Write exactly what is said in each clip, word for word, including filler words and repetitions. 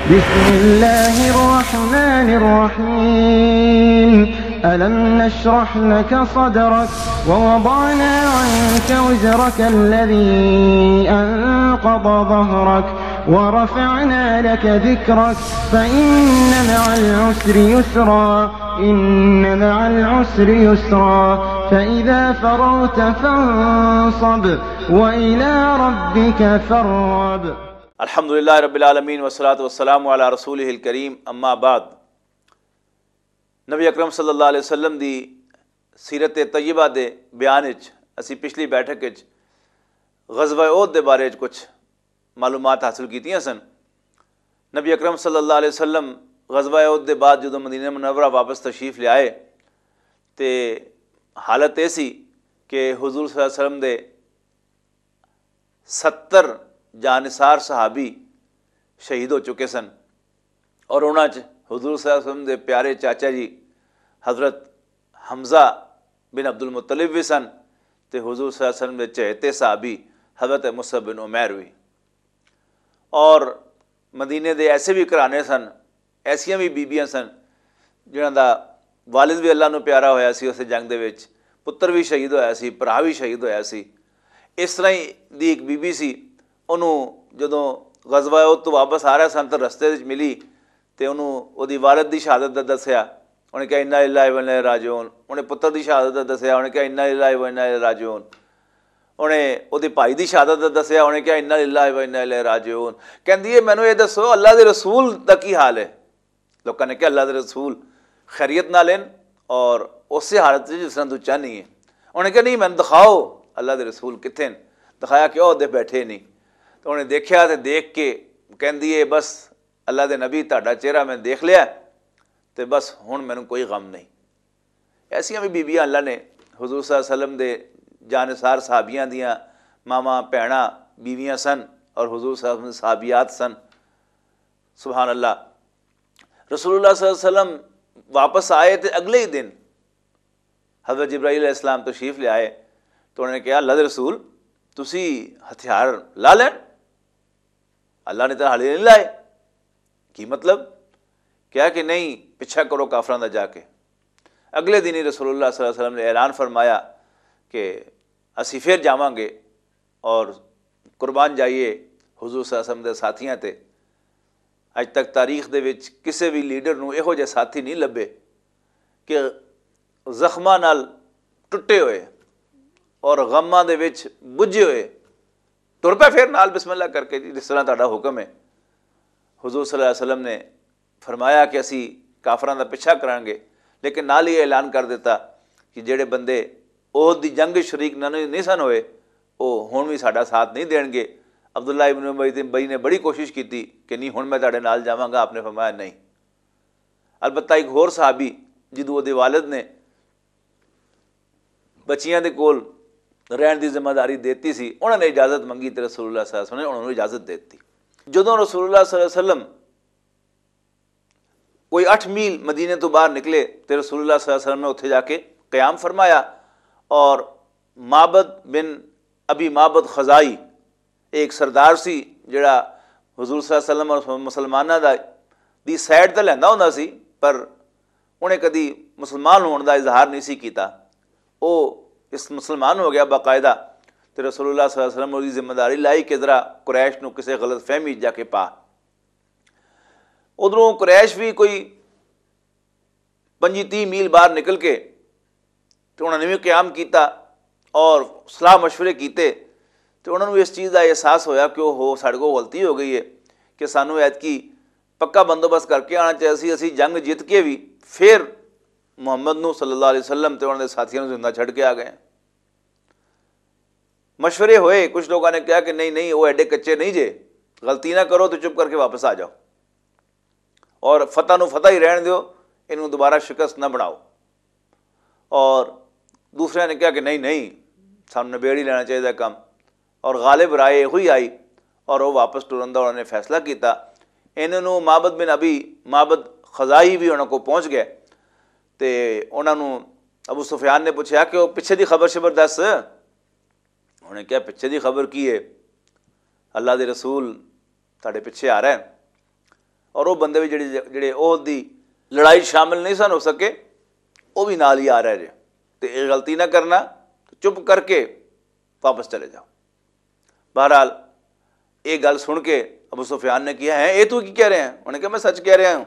بسم الله الرحمن الرحيم. ألم نشرح لك صدرك ووضعنا عنك وزرك الذي أنقض ظهرك ورفعنا لك ذكرك فإن مع العسر يسرا، إن مع العسر يسرا، فإذا فرغت فانصب وإلى ربك فارغب. الحمدللہ رب العالمین، والصلاة والسلام علی رسولہ الکریم، اما بعد۔ نبی اکرم صلی اللہ علیہ وسلم دی سیرت طیبہ دے بیان وچ اسی پچھلی بیٹھک وچ غزوہ احد دے بارے وچ کچھ معلومات حاصل کیتیاں سن۔ نبی اکرم صلی اللہ علیہ وسلم غزوہ احد دے بعد جدوں مدینہ منورہ واپس تشریف لے آئے تے حالت اے سی کہ حضور صلی اللہ علیہ وسلم دے ستر جانثار صحابی شہید ہو چکے سن، اور انہاں چ حضور صلی اللہ علیہ وسلم دے پیارے چاچا جی حضرت حمزہ بن عبد المطلب بھی سن، تے حضور صلی اللہ علیہ وسلم دے چہتے صحابی حضرت مصعب بن عمیر بھی۔ اور مدینے دے ایسے بھی گھرانے سن، ایسیاں بھی بیبیاں سن جنہاں دا والد بھی اللہ نو پیارا ہویا سی، اس جنگ دے وچ پتر بھی شہید ہویا سی، بھرا بھی شہید ہویا سی۔ اس طرح ہی دی ایک بیبی سی، انہوں جدوں غزوہ احد تو واپس آ رہا سن تو رستے وچ ملی، تے انہوں اودی والد دی شہادت دا دسیا۔ انہیں کہا، "انا للہ و انا الیہ راجعون۔" انہیں پتر دی شہادت دا دسیا، انہیں کہا، "انا للہ و انا الیہ راجعون۔" انہیں اودے بھائی دی شہادت دا دسیا، انہیں کہا، "انا للہ و انا الیہ راجعون۔" کہندی ہے، "مینوں یہ دسو، اللہ دے رسول دا کی حال ہے؟" لوکاں نے کہا، "اللہ دے رسول خیریت نال ہن، اور اسی حالت وچ جس طرح تو چاہنی ہے۔" انہیں کہا، "نہیں، مینوں دکھاؤ، اللہ دے رسول کتھے ہن؟" دکھایا کہ او دے بیٹھے نہیں۔ تو انہیں دیکھیا تے دیکھ کے کہندی ہے، "بس، اللہ دے نبی، تہاڈا چہرہ میں دیکھ لیا، تے بس ہن مینوں کوئی غم نہیں۔" ایسیاں بھی بیبیاں اللہ نے، حضور صلی اللہ علیہ وسلم دے جانثار صحابیاں دیاں ماواں، بھیناں، بیویاں سن، اور حضور صلی اللہ علیہ وسلم دے صحابیات سن۔ سبحان اللہ۔ رسول اللہ صلی اللہ علیہ وسلم واپس آئے تے اگلے ہی دن حضرت جبرائیل علیہ السلام تشریف لے آئے، تو انہوں نے کہا، "اللہ دے رسول، تسی ہتھیار لا لین، اللہ نے تو حالی نہیں لائے۔" کی مطلب؟ کہا کہ نہیں، پچھا کرو کافراں دا جا کے۔ اگلے دن ہی رسول اللہ صلی اللہ علیہ وسلم نے اعلان فرمایا کہ اسی پھر جاواں گے اور قربان جائیے حضور صلی اللہ علیہ وسلم دے ساتھیاں تے۔ اج تک تاریخ دے وچ کسے بھی لیڈر نوں ایہو جہے ساتھی نہیں لبھے کہ زخماں نال ٹٹے ہوئے اور غماں دے وچ بجھے ہوئے ٹر پے پھر نال بسم اللہ کر کے، جی، جس طرح تہاڈا حکم ہے۔ حضور صلی اللہ علیہ وسلم نے فرمایا کہ اسی کافراں دا پیچھا کراں گے، لیکن نال ہی اعلان کر دیتا کہ جڑے بندے عہد دی جنگ وچ شریک نہ، نہیں سن ہوئے، او ہن وی ساڈا ساتھ نہیں دین گے۔ عبداللہ ابن ابی نے بڑی کوشش کیتی کہ نہیں، ہن میں تہاڈے نال جاواں گا، آپ نے فرمایا نہیں۔ البتہ ایک ہور صحابی، جدوں اودے والد نے بچیاں دے کول رہن دی ذمہ داری دیتی سی، انہاں نے اجازت منگی تے رسول اللہ صلی اللہ علیہ وسلم نے انہاں نوں اجازت دے دتی۔ جدوں رسول اللہ صلی اللہ علیہ وسلم کوئی اٹھ میل مدینے تو باہر نکلے تے رسول اللہ صلی اللہ علیہ وسلم نے اتھے جا کے قیام فرمایا، اور معبد بن ابی معبد خزائی، ایک سردار سی جڑا حضور صلی اللہ علیہ وسلم اور مسلماناں دا، دی سائیڈ تے لیندا ہوندا سی، پر انہیں کدی مسلمان ہون دا اظہار نہیں سی کیتا۔ او اس مسلمان ہو گیا باقاعدہ، تے رسول اللہ صلی اللہ علیہ وسلم نے ذمہ داری لائی کہ ذرا قریش نو کسے غلط فہمی جا کے پا۔ ادھروں قریش بھی کوئی پنجی تیس میل باہر نکل کے تے انہاں نے بھی قیام کیتا اور صلاح مشورے کیتے، تے انہاں نوں اس چیز دا احساس ہویا کہ او ہو، ساڈے کول غلطی ہو گئی ہے کہ سانوں ایتکی پکا بندوبست کر کے آنا چاہیے سی، اسی جنگ جیت کے بھی پھر محمد نو صلی اللہ علیہ وسلم تے انہاں دے ساتھیاں نوں زندہ چھڈ کے آ گئے ہیں۔ مشورے ہوئے، کچھ لوگوں نے کہا کہ نہیں نہیں، وہ ایڈے کچے نہیں جے، غلطی نہ کرو تو چپ کر کے واپس آ جاؤ، اور فتح نو فتح ہی رہن دیو، انہوں دوبارہ شکست نہ بناؤ۔ اور دوسرے نے کہا کہ نہیں نہیں، سانوں نبیڑ ہی لینا چاہیے کم۔ اور غالب رائے ہوئی آئی، اور وہ واپس ٹرن دا انہوں نے فیصلہ کیتا۔ انہوں نو معبد بن ابی معبد خزائی بھی انہوں کو پہنچ گئے، تے انہوں نو ابو سفیان نے پوچھا کہ وہ پیچھے دی خبر شبر دس۔ انہوں نے کہا، "پیچھے دی خبر کی ہے؟ اللہ دے رسول تہاڈے پیچھے آ رہے ہیں۔" اور وہ بندے بھی جڑے جڑے عہد دی لڑائی شامل نہیں سن ہو سکے، وہ بھی نال ہی آ رہے جے۔ تے یہ غلطی نہ کرنا، چپ کر کے واپس چلے جاؤ۔ بہرحال، یہ گل سن کے ابو سفیان نے کہا، ہے یہ تو کی کہہ رہے ہیں؟ انہوں نے کہا، میں سچ کہہ رہا ہوں،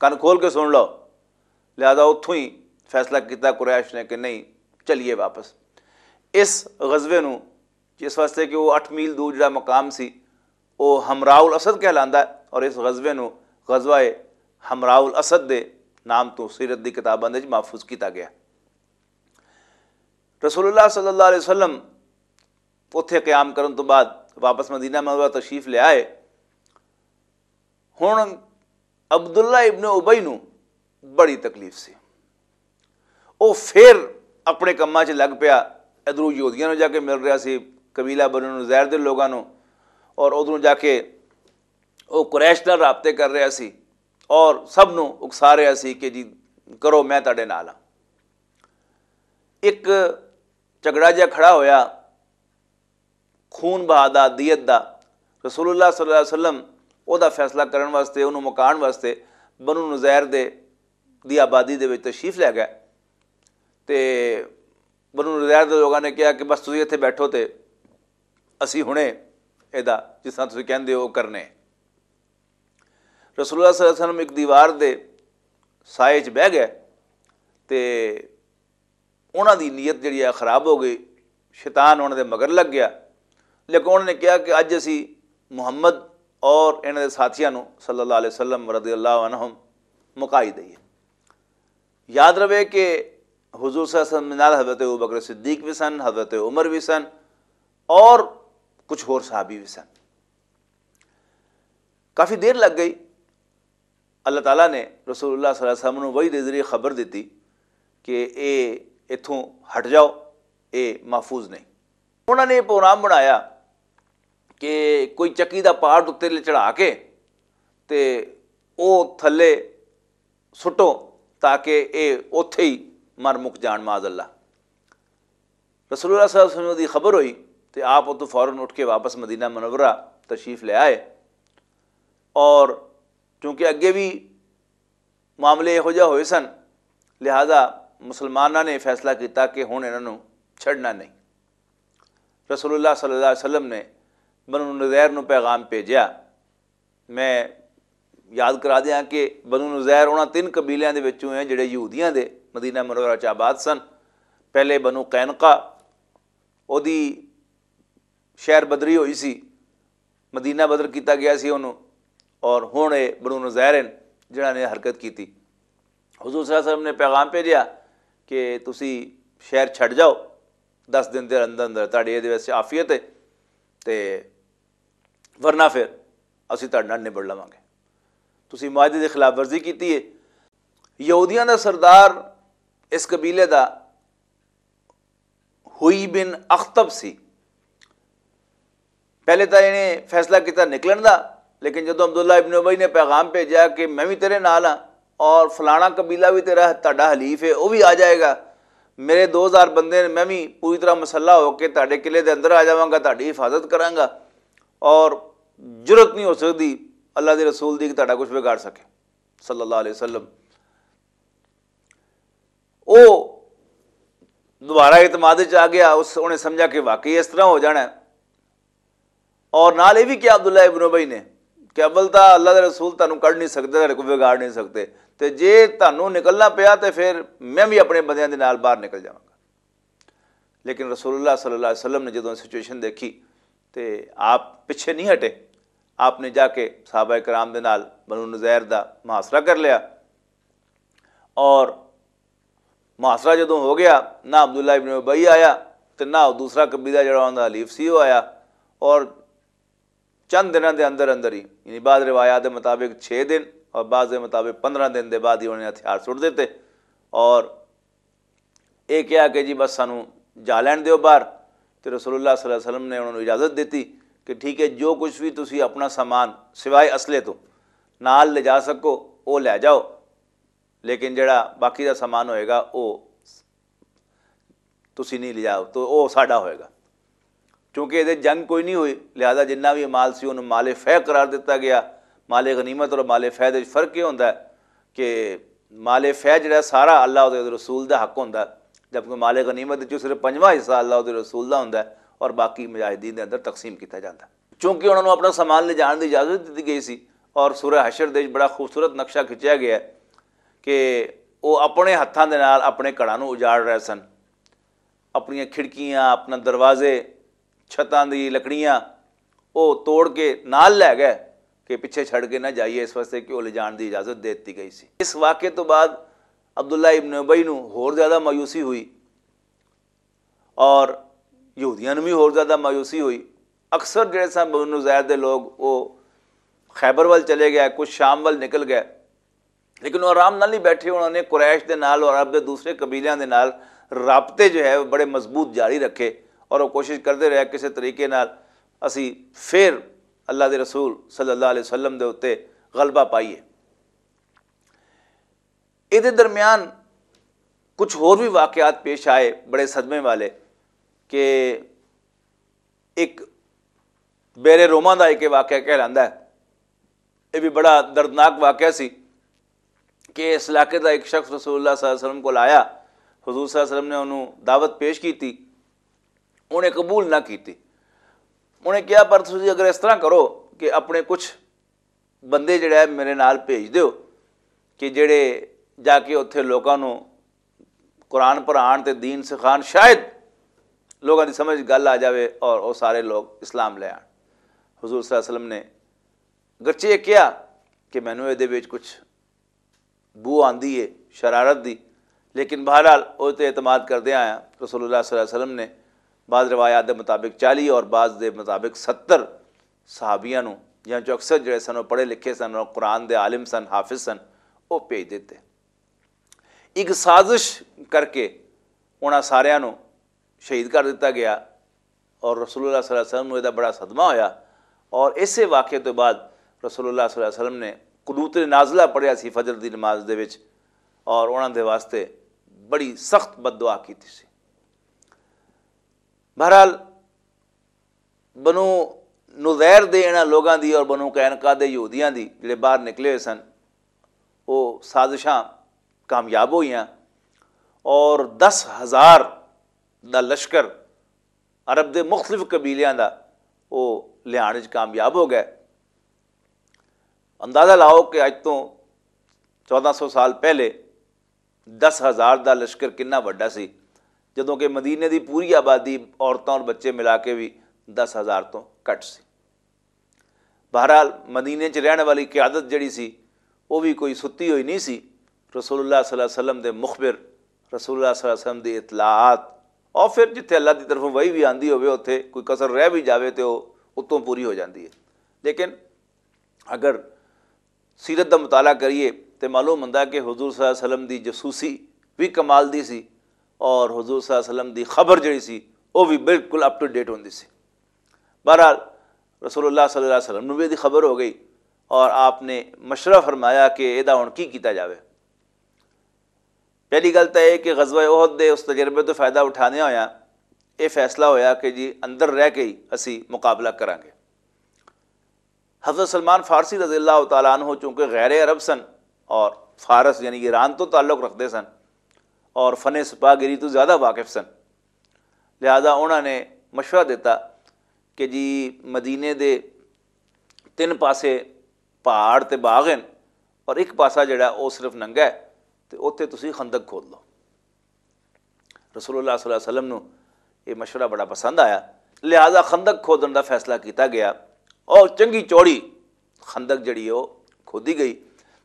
کن کھول کے سن لو۔ لہذا اتھوں ہی فیصلہ کیتا قریش نے کہ نہیں، چلیے واپس۔ اس غزوے نو، جس واسطے کہ وہ اٹھ میل دور جڑا مقام سی، وہ حمراء الاسد کہلاندا ہے، اور اس غزوے نو غزوہ حمراء الاسد دے نام تو سیرت دی کتاباں دے وچ محفوظ کیتا گیا۔ رسول اللہ صلی اللہ علیہ وسلم اتھے قیام کرن تو بعد واپس مدینہ منورہ تشریف لے آئے۔ ہن عبداللہ ابن ابی نو بڑی تکلیف سی۔ وہ پھر اپنے کماں 'چ لگ پیا۔ ادھروں یہودیاں نوں جا کے مل رہا سی، قبیلہ بنو نزیر دے لوگاں نوں، اور ادھروں جا کے وہ قریش نال رابطے کر رہا سی اور سب نوں اکسا رہا سی کہ جی، کرو، میں تہاڈے نال ہاں۔ ایک جھگڑا جہا کھڑا ہویا، خون بہا دا، دیت دا۔ رسول اللہ صلی اللہ علیہ وسلم او دا فیصلہ کرن واسطے، انہوں مکان واسطے بنو نزیر دے دی آبادی دے وچ تشریف لے گئے۔ تے بنو نزیر دے لوگاں نے کہا کہ بس تسی اتھے بیٹھو تے اسی ہنے اے دا جس طرح تسی کہندے ہو کرنے۔ رسول اللہ صلی اللہ علیہ وسلم ایک دیوار دے سائے چ بہ گئے تے انہاں دی نیت جڑی ہے خراب ہو گئی۔ شیطان انہاں دے مگر لگ گیا، لیکن انہاں نے کہا کہ اج اسی محمد اور انہاں دے ساتھیاں نوں صلی اللہ علیہ وسلم رضی اللہ عنہم مکائی دئیے۔ یاد رہے کہ حضور صلی اللہ علیہ وسلم نال حضرت ابوبکر صدیق بھی سن، حضرت عمر بھی سن، اور کچھ ہور صحابی بھی سن۔ کافی دیر لگ گئی۔ اللہ تعالیٰ نے رسول اللہ صلی اللہ علیہ وسلم نوں وحی دے ذریعے خبر دتی کہ اے اتھوں ہٹ جاؤ، اے محفوظ نہیں۔ انہاں نے یہ پروگرام بنایا کہ کوئی چکی دا پارٹ اتنے چڑھا کے تے او تھلے سٹو، تاکہ اے اوتھے ہی مر مک جان، معاذ اللہ۔ رسول اللہ صلی اللہ علیہ وسلم دی خبر ہوئی تے آپ اتوں فوراً اٹھ کے واپس مدینہ منورہ تشریف لے آئے۔ اور چونکہ اگے بھی معاملے یہو جہاں ہوئے سن، لہذا مسلماناں نے فیصلہ کیتا کہ ہن انہاں نوں چھڈنا نہیں۔ رسول اللہ صلی اللہ علیہ وسلم نے بنو نذیر نوں پیغام بھیجیا۔ میں یاد کرا دیاں کہ بنو نذیر انہاں تین قبیلیاں دے وچوں ہیں جڑے یہودیاں دے مدینہ منورہ چ آباد سن۔ پہلے بنو قینقا، اودی شہر بدری ہوئی سی، مدینہ بدر کیتا گیا سی انہوں، اور ہن اے بنو نذیر ہیں جنہاں نے حرکت کیتی۔ حضور صلی اللہ علیہ وسلم نے پیغام بھیجیا کہ تسی شہر چھڈ جاؤ، دس دن دے اندر اندر تہاڈی اے دے وچ عافیت ہے، تے ورنہ پھر اسی تہاڈے نال نبڑ لواں گے۔ تسی معاہدے دی خلاف ورزی کیتی ہے۔ یہودیاں دا سردار اس قبیلے دا ہوئی بن اختب سی۔ پہلے تاں انہیں فیصلہ کیتا نکلن دا، لیکن جدوں عبداللہ ابن ابی نے پیغام بھیجا کہ میں بھی تیرے نال ہاں اور فلانا قبیلہ بھی تیرا، تہاڈا حلیف ہے، وہ بھی آ جائے گا، میرے دو ہزار بندے نے، میں بھی پوری طرح مسلح ہو کے تہاڈے قلعے دے اندر آ جاواں گا، تہاڈی حفاظت کراں گا، اور جرت نہیں ہو سکتی اللہ دے رسول دی کہ تہاڈا کچھ بگاڑ سکے، صلی اللہ علیہ وسلم۔ وہ دوبارہ اعتماد وچ آ گیا، اس انہیں سمجھا کہ واقعی اس طرح ہو جانا ہے۔ اور نال یہ بھی کیا عبداللہ ابن ابی نے کہ اول تاں اللہ دے رسول تانوں کڈ نہیں سکدے، تہاڈے کو بگاڑ نہیں سکدے، تے جے تانوں نکلنا پیا تے پھر میں بھی اپنے بندیاں دے نال باہر نکل جاواں گا۔ لیکن رسول اللہ صلی اللہ علیہ وسلم نے جدوں سچویشن دیکھی تے آپ پیچھے نہیں ہٹے۔ آپ نے جا کے صحابہ کرام دے نال بنو نذیر دا محاصرہ کر لیا، اور محاصرہ جدوں ہو گیا، نہ عبداللہ ابن ابی آیا تے نہ دوسرا قبیلہ جڑا انہاں دا حلیف سی، وہ آیا۔ اور چند دناں دے اندر اندر ہی، یعنی بعض روایات دے مطابق چھ دن اور بعض دے مطابق پندرہ دن دے بعد ہی انہوں نے ہتھیار سٹ دیتے، اور یہ کہا کہ جی بس سانوں جا لین دیو باہر۔ تے رسول اللہ صلی اللہ علیہ وسلم نے انہوں نے اجازت دیتی کہ ٹھیک ہے، جو کچھ بھی تسی اپنا سامان سوائے اصلے تو نال لے جا سکو، وہ لے جاؤ، لیکن جڑا باقی دا سامان ہوئے گا، وہ تسی نہیں لے جاؤ، تو وہ ساڈا ہوئے گا۔ کیونکہ یہ جنگ کوئی نہیں ہوئی، لہذا جنہ بھی مال سی انہوں مال فیق قرار دیتا گیا۔ مال غنیمت اور مال فیض وچ فرق یہ ہوندا ہے کہ مال فیض جڑا سارا اللہ اور رسول دا حق ہوندا ہے، جبکہ مال غنیمت وچ صرف پنجواں حصہ اللہ اور رسول دا ہوندا ہے اور باقی مجاہدین دے اندر تقسیم کیتا جاندا ہے۔ چونکہ انہاں نوں اپنا سامان لے جان دی اجازت دتی گئی سی اور سورہ حشر دے وچ بڑا خوبصورت نقشہ کھچیا گیا ہے کہ وہ اپنے ہتھاں دے نال اپنے گھراں نوں اجاڑ رہے سن، اپنیاں کھڑکیاں، اپنا دروازے، چھتاں دی لکڑیاں وہ توڑ کے نال لے گئے کہ پچھے چھڑ کے نہ جائیے، اس واسطے کہ وہ لے جان دی اجازت دے دتی گئی سی۔ اس واقعے تو بعد عبداللہ ابن ابی نو ہور زیادہ مایوسی ہوئی اور یہودیاں نوں بھی ہور زیادہ مایوسی ہوئی۔ اکثر جڑے سن بنو زید دے لوگ وہ خیبر ول چلے گئے، کچھ شام ول نکل گئے، لیکن وہ آرام نال نہیں بیٹھے۔ انہوں نے قریش دے نال اور عرب دے دوسرے قبیلیاں دے نال رابطے جو ہے وہ بڑے مضبوط جاری رکھے اور وہ کوشش کرتے رہے کسی طریقے نال اسی پھر اللہ دے رسول صلی اللہ علیہ وسلم دے اُتے غلبہ پائیے۔ اے دے درمیان کچھ ہور بھی واقعات پیش آئے بڑے صدمے والے کہ ایک بیر روما دا ایک واقعہ کہلاندا ہے۔ یہ بھی بڑا دردناک واقعہ سی کہ اس علاقے دا ایک شخص رسول اللہ صلی اللہ علیہ وسلم کو آیا، حضور صلی اللہ علیہ وسلم نے انہوں دعوت پیش کی تھی، انہیں قبول نہ کی تھی۔ انہیں کہا، پر تسی اگر اس طرح کرو کہ اپنے کچھ بندے جڑے ہے میرے نال بھیج دیو کہ جڑے جا کے اتھے لوکاں نوں قرآن پڑھان تے دین سکھان، شاید لوکاں دی سمجھ گل آ جاوے اور وہ سارے لوگ اسلام لے آن۔ حضور صلی اللہ علیہ وسلم نے گرچہ یہ کہا کہ مینوں اے دے وچ کچھ بو آندی ہے شرارت دی، لیکن بہرحال او تے اعتماد کردے آیا۔ رسول اللہ صلی اللہ علیہ وسلم نے بعض روایات دے مطابق چالی اور بعض دے مطابق ستر صحابیاں نوں، جنہاں چوں اکثر جڑے سن وہ پڑھے لکھے سن اور قرآن دے عالم سن، حافظ سن، وہ بھیج دیتے۔ ایک سازش کر کے انہاں ساریاں نوں شہید کر دتا گیا اور رسول اللہ صلی اللہ علیہ وسلم نوں ایہدا بڑا صدمہ ہویا۔ اور اسے واقعے تو بعد رسول اللہ صلی اللہ علیہ وسلم نے قنوت نازلہ پڑھیا سی فجر دی نماز دے وچ اور انہاں دے واسطے بڑی سخت بد دعا کیتی سی۔ بہرحال، بنو نذیر دے انہاں لوگاں دی اور بنو قینقاع دے یہودیاں دی جڑے باہر نکلے ہوئے سن، وہ سازشاں کامیاب ہوئیاں اور دس ہزار دا لشکر عرب دے مختلف قبیلیاں دا وہ لیان وچ کامیاب ہو گئے۔ اندازہ لاؤ کہ اج تو چودہ سو سال پہلے دس ہزار دا لشکر کنا وڈا سی، جدوں کہ مدینے دی پوری آبادی، عورتاں اور بچے ملا کے بھی دس ہزار تو گھٹ سی۔ بہرحال، مدینے چ رہن والی قیادت جڑی سی، وہ بھی کوئی ستی ہوئی نہیں سی۔ رسول اللہ صلی اللہ علیہ وسلم دے مخبر، رسول اللہ صلی اللہ علیہ وسلم دی اطلاعات، اور پھر جتھے اللہ دی طرفوں وحی بھی آندی ہوئے، اتھے کوئی کسر رہ بھی جاوے تے وہ اتوں پوری ہو جاندی ہے۔ لیکن اگر سیرت دا مطالعہ کریے تے معلوم ہوندا ہے کہ حضور صلی اللہ علیہ وسلم دی جاسوسی بھی کمال دی سی اور حضور صلی اللہ علیہ وسلم دی خبر جڑی سی، وہ بھی بالکل اپ ٹو ڈیٹ ہوندی سی۔ بہرحال، رسول اللہ صلی اللہ علیہ وسلم نوں بھی دی خبر ہو گئی اور آپ نے مشورہ فرمایا کہ ادا ہن کی کیتا جاوے۔ پہلی گل تاں یہ کہ غزوہ احد دے اس تجربے تو فائدہ اٹھانے ہویا یہ فیصلہ ہویا کہ جی، اندر رہ کے ہی اسی مقابلہ کرانگے۔ حضرت سلمان فارسی رضی اللہ تعالیٰ عنہ چونکہ غیر عرب سن اور فارس یعنی ایران تو تعلق رکھتے سن اور فن سپاہ گری تو زیادہ واقف سن، لہذا انہوں نے مشورہ دیتا کہ جی، مدینے دے تین پاسے پہاڑ تے باغ ہیں اور ایک پاسا جڑا وہ صرف ننگا ہے، تے اوتھے تسی خندق کھود لو۔ رسول اللہ صلی اللہ علیہ وسلم نو یہ مشورہ بڑا پسند آیا، لہذا خندق کھودن دا فیصلہ کیتا گیا اور چنگی چوڑی خندق جڑی ہے وہ کھودی گئی،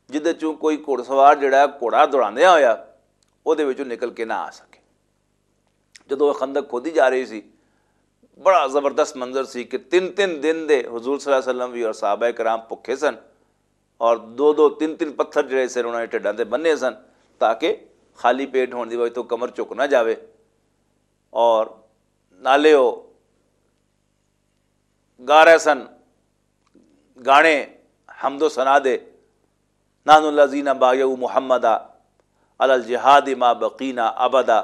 جدے چوں کوئی گھوڑ سوار جڑا ہے گھوڑا دوڑاندیا ہویا وہ دے وچوں نکل کے نہ آ سکے۔ جدوں وہ خندق کھودی جا رہی سی، بڑا زبردست منظر سی کہ تین تین دن دے حضور صلی اللہ علیہ وسلم بھی اور صحابہ کرام بھکھے سن اور دو دو تین تین پتھر جڑے سن انہوں نے ٹھڈاں تے بننے سن تاکہ خالی پیٹ ہون دی وجہ تو کمر چک نہ جاوے۔ اور نالے وہ گا رہے سن گانے حمد و ثنا دے، "نحن الذین بایعوا محمدا علی الجہاد ما بقینا ابدا"،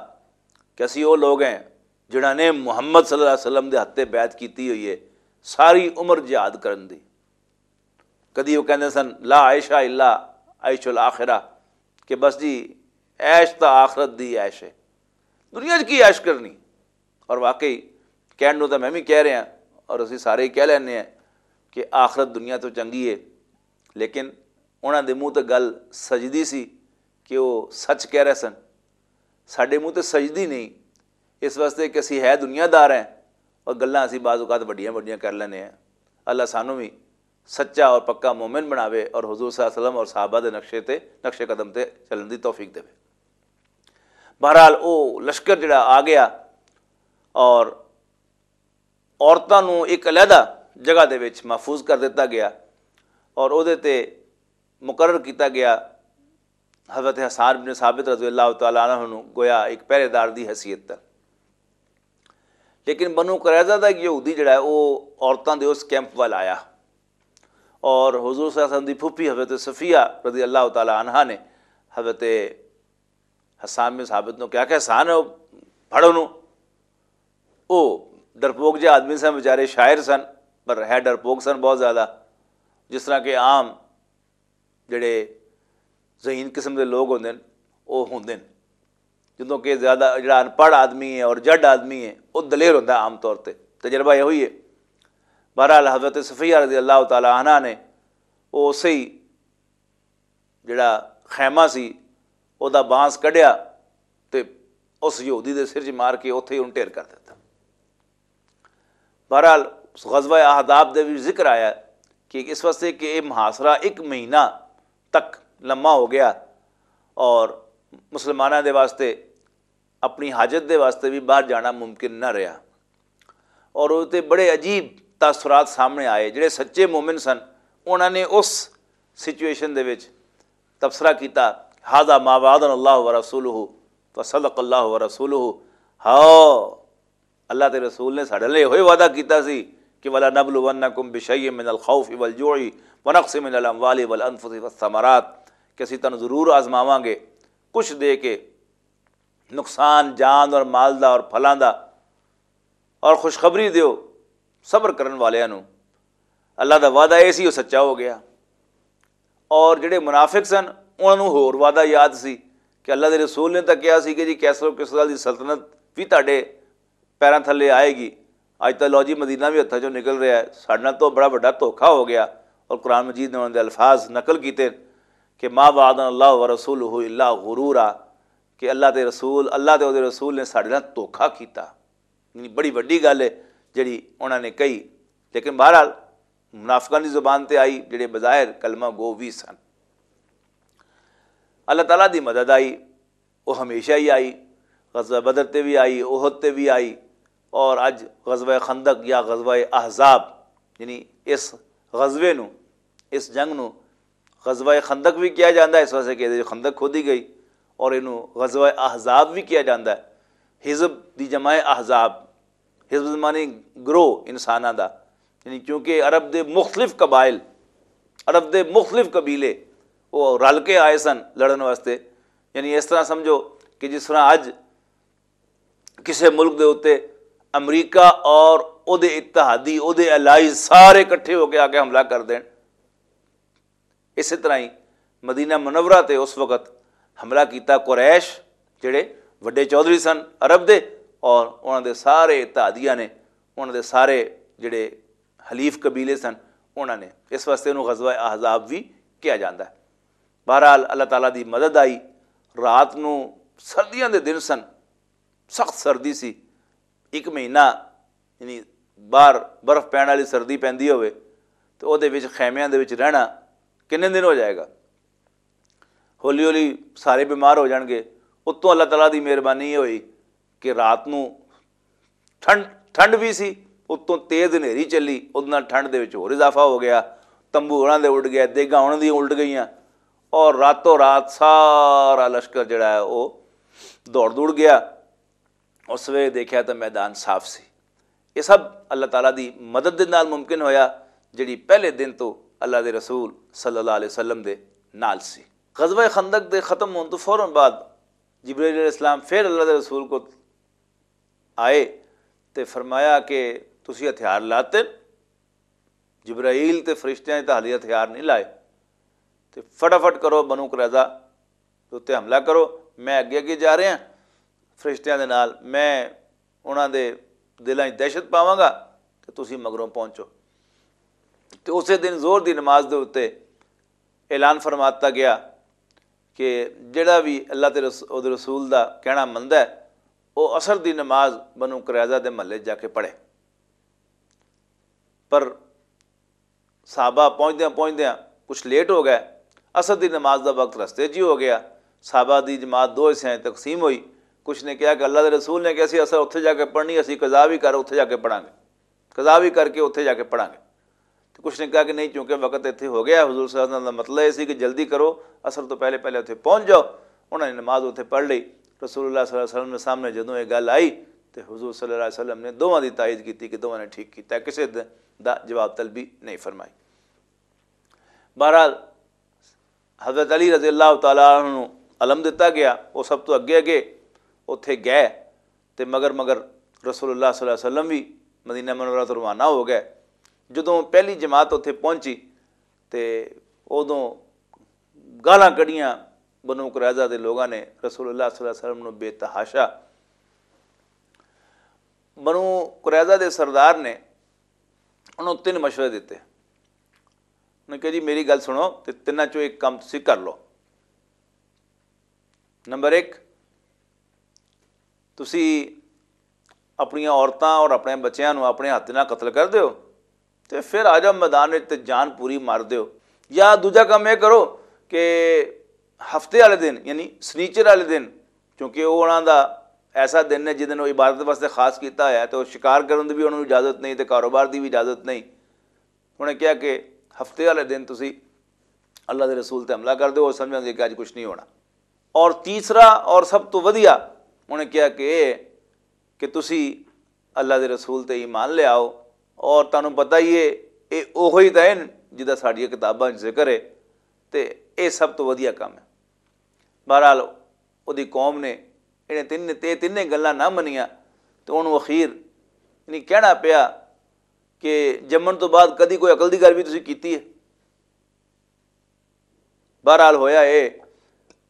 کہ اسی وہ لوگ ہیں جنہاں نے محمد صلی اللہ علیہ وسلم دے ہتھے بیعت کیتی ہوئی ہے ساری عمر جہاد کرن دی۔ کدی وہ کہندے سن، "لا عیش الا عیش الاخرہ"، کہ بس جی، عیش تاں آخرت دی عیش ہے، دنیا 'چ کی عیش کرنی؟ اور واقعی کہن نوں تاں میں بھی کہہ رہا، اور اسی سارے ہی کہہ لینے ہیں کہ آخرت دنیا تو چنگی ہے، لیکن انہاں دے منہ تے گل سجدی سی کہ وہ سچ کہہ رہے سن۔ ساڈے منہ تے سجدی نہیں، اس واسطے کہ اسی ہے دنیا دار ہیں اور گلاں اسی بعض اوقات وڈیاں وڈیاں کر لینے ہیں۔ اللہ سانوں بھی سچا اور پکا مومن بناوے اور حضور صلی اللہ علیہ وسلم اور صحابہ دے نقشے تے، نقش قدم تے چلن دی توفیق دے۔ بہرحال، وہ لشکر جڑا آ گیا اور عورتاں نوں ایک علیحدہ جگہ دے وچ محفوظ کر دتا گیا اور اودے تے مقرر کیتا گیا حضرت حسان بن ثابت رضی اللہ تعالیٰ عنہ نوں گویا ایک پہرے دار دی حیثیت تے۔ لیکن بنو قریظہ دا ایک یہودی جڑا ہے، وہ عورتاں دے اس کیمپ وال آیا اور حضور صلی اللہ علیہ وسلم دی پھوپھی حضرت صفیہ رضی اللہ تعالیٰ عنہا نے حضرت حسان بن ثابت نوں کہا کہ حسان، پھڑو نوں۔ وہ ڈرپوک جے آدمی سن، بیچارے شاعر سن، پر ہے ڈرپوک سن بہت زیادہ، جس طرح کہ عام جڑے ذہین قسم دے لوگ ہوندے نے، وہ ہوندے نے۔ جدوں کہ زیادہ جڑا ان پڑھ آدمی ہے اور جڈ آدمی ہے، وہ دلیر ہوندا ہے عام طور تے، تجربہ یہ ہوئی ہے۔ بہرحال، حضرت صفیہ رضی اللہ تعالیٰ عنہ نے وہ اسی جڑا خیمہ سی، او دا بانس کڈیا تے اس یہودی دے سر چ مار کے اوتھے ہی انہوں ڈھیر کر دتا۔ بہرحال، غزوہ احزاب دے بھی ذکر آیا کہ اس واسطے کہ یہ محاصرہ ایک مہینہ تک لمبا ہو گیا اور مسلمانوں دے واسطے اپنی حاجت دے واسطے بھی باہر جانا ممکن نہ رہا۔ اور وہ تے بڑے عجیب تاثرات سامنے آئے۔ جڑے سچے مومن سن، انہاں نے اس سچویشن دے وچ تبصرہ کیتا، "ھذا ما وعدنا اللہ ورسولہ وصدق اللہ ورسولہ۔" ہاں، اللہ تے رسول نے ساڈے لئی ہوئے وعدہ کیتا سی کہ "ولا نبلونکم بشیء من الخوف والجوع ونقص من الاموال والانفس والثمرات"، کہ اسی تانوں ضرور آزماواں گے، کچھ دے کے، نقصان جان اور مال دا اور پھلاں دا، اور خوشخبری دیو صبر کرن والیاں نوں۔ اللہ دا وعدہ اے سی، او سچا ہو گیا۔ اور جڑے منافق سن، انہاں نوں ہور وعدہ یاد سی کہ اللہ دے رسول نے تاں کہیا سی کہ جی کیسر و کسریٰ دی سلطنت وی تہاڈے پیراں تھلے آئے گی۔ اج تاں لو جی مدینہ وی ہتھاں چوں نکل رہیا ہے، ساڈے نال تاں بڑا وڈا دھوکھا ہو گیا۔ اور قرآن مجید نے انہاں دے الفاظ نقل کیتے کہ "ما وعدنا اللہ ورسولہ الا غرورا"، کہ اللہ دے رسول، اللہ تے اودے رسول نے ساڈے نال دھوکھا کیتا۔ یعنی بڑی وڈی گل ہے جڑی انہاں نے کہی۔ لیکن بہرحال، منافقاں دی زبان تے آئی، جڑے بظاہر کلمہ گو وی سن۔ اللہ تعالیٰ دی مدد آئی، وہ ہمیشہ ہی آئی، غزوہ بدر تے بھی آئی، احد تے بھی آئی، اور اج غزوہ خندق یا غزوہ احزاب، یعنی اس غزوے نو، اس جنگ نو غزوہ خندق بھی کہا جاندا ہے، اس واسطے کہ خندق کھودی گئی، اور اینو غزوہ احزاب بھی کہا جاندا ہے۔ حزب دی جمع ہے احزاب۔ حزب معنی گروہ انساناں دا، یعنی کیونکہ عرب دے مختلف قبائل، عرب دے مختلف قبیلے، وہ رل کے آئے سن لڑن واسطے۔ یعنی اس طرح سمجھو کہ جس طرح اج کسے ملک دے اُتے امریکہ اور او دے اتحادی، او دے الائز سارے اکٹھے ہو کے آ کے حملہ کر دین، اسی طرح ہی مدینہ منورہ تے اس وقت حملہ کیتا قریش، جڑے وڈے چودھری سن عرب دے، اور انہاں دے سارے اتحادیاں نے، انہاں دے سارے جڑے حلیف قبیلے سن، انہاں نے۔ اس واسطے انہوں غزوہ احزاب بھی کہا جاندا ہے۔ بہرحال، اللہ تعالیٰ دی مدد آئی۔ رات نو سردیاں دے دن سن، سخت سردی سی۔ ایک مہینہ، یعنی باہر برف پین والی سردی پیندی ہوئے، تو او دے وچ، خیمیاں دے وچ رہنا کنے دن ہو جائے گا؟ ہولی ہولی سارے بیمار ہو جان گے۔ اتوں اللہ تعالیٰ دی مہربانی یہ ہوئی کہ رات نو ٹھنڈ، ٹھنڈ بھی سی، اتوں تیز ہنیری چلی، اس نال ٹھنڈ دے وچ ہور اضافہ ہو گیا۔ تمبو انہاں دے اڈ گئے، دیگاں انہاں دی الٹ گئیاں، اور راتوں رات سارا لشکر جڑا ہے، وہ دوڑ دوڑ گیا۔ اس ویلے دیکھیا تو میدان صاف سی۔ یہ سب اللہ تعالیٰ دی مدد دے نال ممکن ہویا، جڑی پہلے دن تو اللہ دے رسول صلی اللہ علیہ وسلم دے نال سی۔ غزوہ خندق دے ختم ہون تو فوراً بعد جبرائیل علیہ السلام پھر اللہ دے رسول کو آئے تے فرمایا کہ "تسی ہتھیار لاتے؟" جبرائیل تے فرشتیاں نے تاں حالی ہتھیار نہیں لائے، تے فٹافٹ کرو، بنو قریظہ دے اُتے حملہ کرو۔ میں اگے اگے جا رہا، فرشتیاں دے نال، میں انہاں دے دلاں 'چ دہشت پاواں گا، تے تسی مگروں پہنچو۔ تے اسے دن ظہر دی نماز دے اُتے اعلان فرماتا گیا کہ جڑا بھی اللہ تے رس-، اودے رسول دا کہنا مندا ہے، وہ عصر دی نماز بنو قریظہ دے محلے جا کے پڑھے۔ پر صحابہ پہنچدیاں پہنچدیاں کچھ لیٹ ہو گئے، عصر دی نماز دا وقت رستے 'چ ہی ہو گیا۔ صحابہ دی جماعت دو حصے 'چ تقسیم ہوئی۔ کچھ نے کہا کہ اللہ دے رسول نے کہ اسی عصر اتھے جا کے پڑھنی، اسی قضا بھی کر اتھے جا کے پڑھاں گے، قضا بھی کر کے اتھے جا کے پڑھاں گے۔ تو کچھ نے کہا کہ نہیں، چونکہ وقت اتھے ہو گیا، حضور صلی اللہ علیہ وسلم دا مطلب یہ سی کہ جلدی کرو، عصر تو پہلے پہلے اتھے پہنچ جاؤ۔ انہوں نے نماز اتھے پڑھ لی۔ رسول اللہ صلی اللہ علیہ وسلم نے سامنے جدوں یہ گل آئی، تو حضور صلی اللہ علیہ وسلم نے دوواں دی تائید کیتی کہ دوواں نے ٹھیک کیتا، کسے دا جواب طلبی نہیں فرمائی۔ بہرحال، حضرت علی رضی اللہ تعالیٰ عنہ نوں علم دتا گیا، وہ سب تو اگے اگے اتھے گئے، تے مگر مگر رسول اللہ صلی اللہ علیہ وسلم بھی مدینہ منورہ تو روانہ ہو گئے۔ جدوں پہلی جماعت اتھے پہنچی، تے ادوں گالاں کڑیاں بنو قریظہ دے لوگاں نے رسول اللہ صلی اللہ علیہ وسلم نوں بے تحاشا۔ بنو قریظہ دے سردار نے انہوں تین مشورے دیتے۔ انہوں نے کہا، "جی، میری گل سنو، تے تیناں چوں ایک کام تسی کر لو۔ نمبر ایک، تسی اپنیاں عورتاں اور اپنے بچیاں نوں اپنے ہاتھ نال قتل کر دیو، تے پھر آ جاؤ میدان وچ تے جان پوری مار دیو۔ یا دوجا کام یہ کرو کہ ہفتے والے دن، یعنی سنیچر والے دن، کیونکہ وہ انہاں دا ایسا دن ہے جس دن وہ عبادت واسطے خاص کیتا ہوا ہے، تے وہ شکار کرن دی بھی انہاں نوں اجازت نہیں، تے کاروبار دی بھی اجازت نہیں۔ انہاں نے کہا کہ ہفتے والے دن تسی اللہ دے رسول تے حملہ کر دیو، وہ سمجھن گے کہ اج کچھ نہیں ہونا۔" اور تیسرا اور سب تو ودیا، انہاں نے کہا کہ اے کہ تسی اللہ دے رسول تے ایمان لے آؤ، اور تانوں پتہ ہی ہے، اے اوہی تے ہیں جدا ساڈیاں کتاباں 'چ ذکر ہے، تے اے سب تو ودیا کام ہے۔ بہرحال، اودی قوم نے انہیں تین، تے تینے گلاں نہ منیاں، تے انہوں اخیر یعنی کہنا پیا کہ جمن تو بعد کدی کوئی عقل دی گل بھی تسی کیتی ہے؟ بہرحال، ہویا اے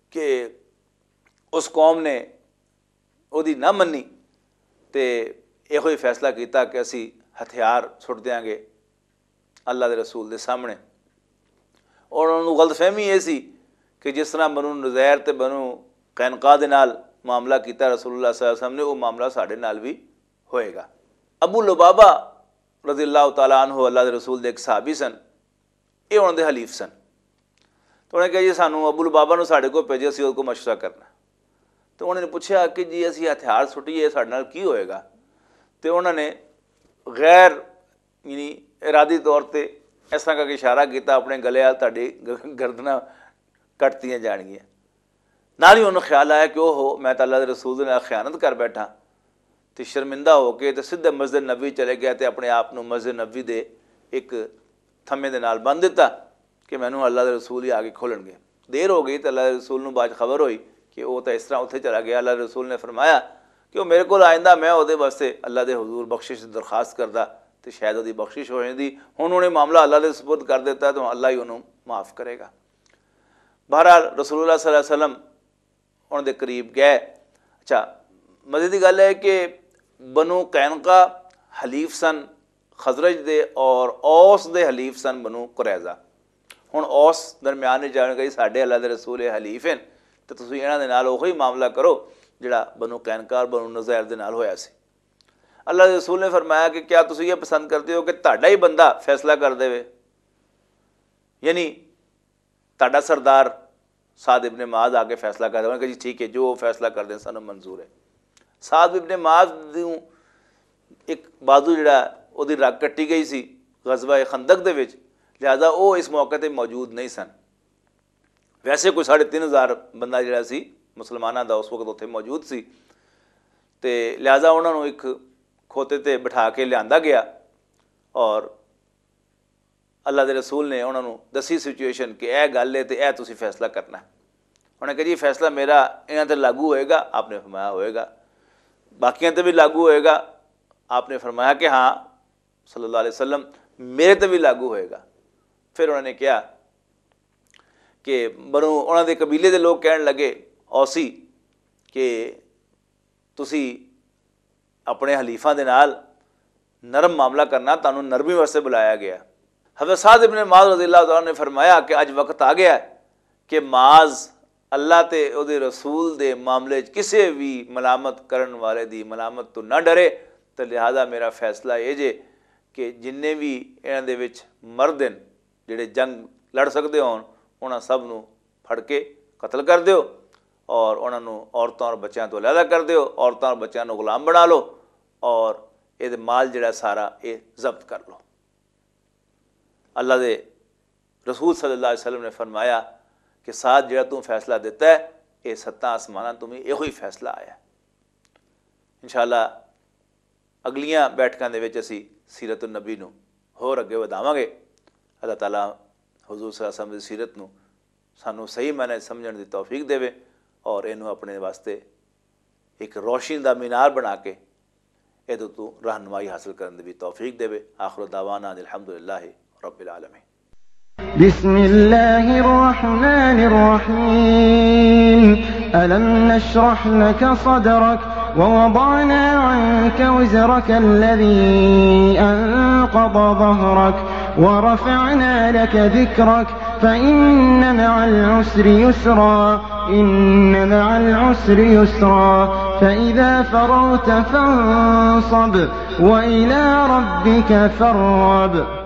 کہ اس قوم نے اودی نہ منی، تے ایہو ہی فیصلہ کیتا کہ اسی ہتھیار سٹ دیاں گے اللہ دے رسول دے سامنے۔ اور انہوں غلط فہمی یہ سی کہ جس طرح بنو نزیر تے بنو قینقاع دے نال معاملہ کیتا رسول اللہ صلی اللہ علیہ وسلم نے، وہ معاملہ ساڈے نال بھی ہوئے گا۔ ابو لبابہ رضی اللہ تعالیٰ عنہ، اللہ دے رسول دے ایک صحابی سن، یہ انہوں دے حلیف سن۔ تو انہوں نے کہا، "جی، سانو ابو لبابہ نو ساڈے کو بھیجے، اسی اس کو مشورہ کرنا۔" تو انہوں نے پوچھا کہ، "جی، اسی ہتھیار سٹیے، ساڈے نال کی ہوئے گا؟" تو انہوں نے غیر، یعنی، ارادی طور تے اس طرح کا اشارہ کیتا اپنے گلے وال، "تہاڈی گ-، گردناں کٹتیاں جانگیاں۔" نال ہی انہوں خیال آیا کہ، "اوہو، میں تاں اللہ دے رسول دے نال خیانت کر بیٹھا۔" تے شرمندہ ہو کے تے سدھے مسجد نبوی چلے گیا تے اپنے آپ نوں مسجد نبوی دے ایک تھمے دے نال بند دتا کہ مینوں اللہ دے رسول ہی آ کے کھولن گے۔ دیر ہو گئی تے اللہ دے رسول نوں بعد خبر ہوئی کہ وہ تاں اس طرح اتھے چلا گیا۔ اللہ دے رسول نے فرمایا کہ وہ میرے کول آئندہ، میں اودے واسطے اللہ دے حضور بخشش دی درخواست کردا تے شاید اودی بخشش ہو جاندی۔ ہن انہیں معاملہ اللہ دے سپرد کر دیتا تو اللہ ہی انہوں معاف کرے گا۔ بہرحال، رسول اللہ صلی اللہ علیہ وسلم انہاں دے قریب گئے۔ اچھا، مزے دی گل ہے کہ بنو قینقا حلیف سن خزرج دے، اور اوس دے حلیف سن بنو قریظہ۔ ہن اوس درمیان وچ جان گئی، "ساڈے اللہ دے رسول حلیف ہیں، تے تسی انہاں دے نال اوہی معاملہ کرو جڑا بنو قینقا اور بنو نظیر دے نال ہویا سی۔" اللہ دے رسول نے فرمایا کہ کیا تسی یہ پسند کرتے ہو کہ تہاڈا ہی بندہ فیصلہ کر دے؟ یعنی تہاڈا سردار سعد ابن معاذ آ کے فیصلہ کر دے؟ انہوں نے کہا، "جی ٹھیک ہے، جو وہ فیصلہ کر دیں، سانوں منظور ہے۔" سعد ابن معاذ دی ایک بازو جڑا، اودی رگ کٹی گئی سی غزوہ خندق دے وچ، لہذا وہ اس موقع تے موجود نہیں سن۔ ویسے کوئی ساڑھے تین ہزار بندہ جڑا سی مسلماناں دا اس وقت اتھے موجود سی، تے لہذا انہاں نوں ایک کھوتے تے بٹھا کے لیاندا گیا، اور اللہ دے رسول نے انہاں نوں دسی سچویشن کہ اے گل ہے تے اے تسی فیصلہ کرنا ہے۔ انہاں نے کہا، "جی، فیصلہ میرا انہاں تے لاگو ہوئے گا؟" آپ نے فرمایا، "ہوئے گا۔" "باقیاں تے بھی لاگو ہوئے گا؟" آپ نے فرمایا کہ ہاں، صلی اللہ علیہ وسلم۔ میرے تے بھی لاگو ہوئے گا۔ پھر انہوں نے کہا کہ بنو، انہاں دے قبیلے دے لوگ کہن لگے، اوسی، کہ تسی اپنے حلیفاں دے نال نرم معاملہ کرنا، تانوں نرمی واسطے بلایا گیا۔ حضرت سعد ابن معاذ رضی اللہ تعالیٰ عنہ نے فرمایا کہ اج وقت آ گیا ہے کہ معاذ اللہ تے او دے رسول دے معاملے وچ کسے بھی ملامت کرن والے دی ملامت تو نہ ڈرے، تے لہذا میرا فیصلہ یہ جے کہ جننے بھی انہاں دے وچ مرد ہیں، جڑے جنگ لڑ سکدے ہون، انہاں سب نوں پھڑ کے قتل کر دیو، اور انہاں نوں عورتاں اور بچیاں تو علیحدہ کر دیو، عورتاں اور بچیاں نوں غلام بنا لو، اور اے دے مال جڑا سارا اے ضبط کر لو۔ اللہ دے رسول صلی اللہ علیہ وسلم نے فرمایا کہ ساتھ جڑا توں فیصلہ دیتا ہے، اے ستاں آسماناں تو بھی ایہو ہی فیصلہ آیا ہے۔ انشاءاللہ اگلیاں بیٹھکاں دے وچ اسی سیرت النبی نوں ہور اگے ودھاواں گے۔ اللہ تعالیٰ حضور صلی اللہ علیہ وسلم دی سیرت نوں سانوں صحیح معنی سمجھن دی توفیق دیوے، اور اینوں اپنے واسطے ایک روشنی دا مینار بنا کے ایدے تو رہنمائی حاصل کرن دی بھی توفیق دیوے۔ آخر دعوانا ان الحمدللہ رب العالمین۔ بسم الله الرحمن الرحيم. ألم نشرح لك صدرك ووضعنا عنك وزرك الذي أنقض ظهرك ورفعنا لك ذكرك فإن مع العسر يسرا، إن مع العسر يسرا، فإذا فرغت فانصب وإلى ربك فارغب.